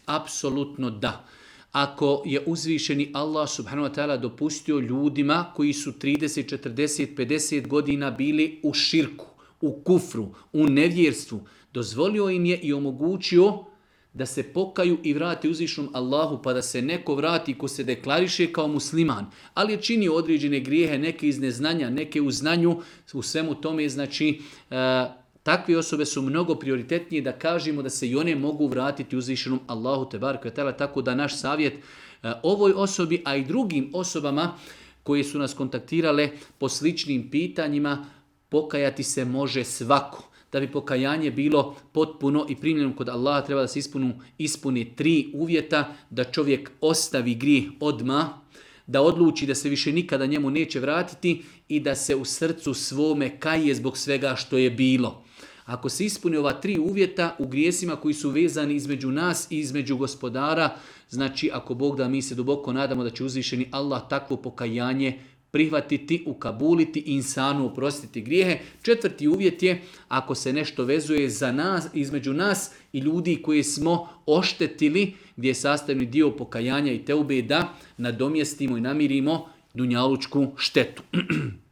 Apsolutno da. Ako je uzvišeni Allah subhanahu wa ta'ala dopustio ljudima koji su 30, 40, 50 godina bili u širku, u kufru, u nevjerstvu, dozvolio im je i omogućio da se pokaju i vrati uzvišenom Allahu, pa da se neko vrati ko se deklariše kao musliman, ali je činio određene grijehe, neke iz neznanja, neke u znanju, u svemu tome, znači takve osobe su mnogo prioritetnije da kažemo da se i one mogu vratiti uzvišenom Allahu tebareke ve taala, tako da naš savjet ovoj osobi, a i drugim osobama koje su nas kontaktirale po sličnim pitanjima, pokajati se može svako. Da bi pokajanje bilo potpuno i primljeno kod Allaha, treba da se ispuni 3 uvjeta: da čovjek ostavi grijeh odmah, da odluči da se više nikada njemu neće vratiti i da se u srcu svome kaje zbog svega što je bilo. Ako se ispuni ova 3 uvjeta u grijesima koji su vezani između nas i između gospodara, znači ako Bog da, mi se duboko nadamo da će uzvišeni Allah takvo pokajanje prihvatiti, ukabuliti i insanu oprostiti grijehe. 4. uvjet je ako se nešto vezuje za nas, između nas i ljudi koje smo oštetili, gdje je sastavni dio pokajanja i teube da nadomjestimo i namirimo dunjalučku štetu.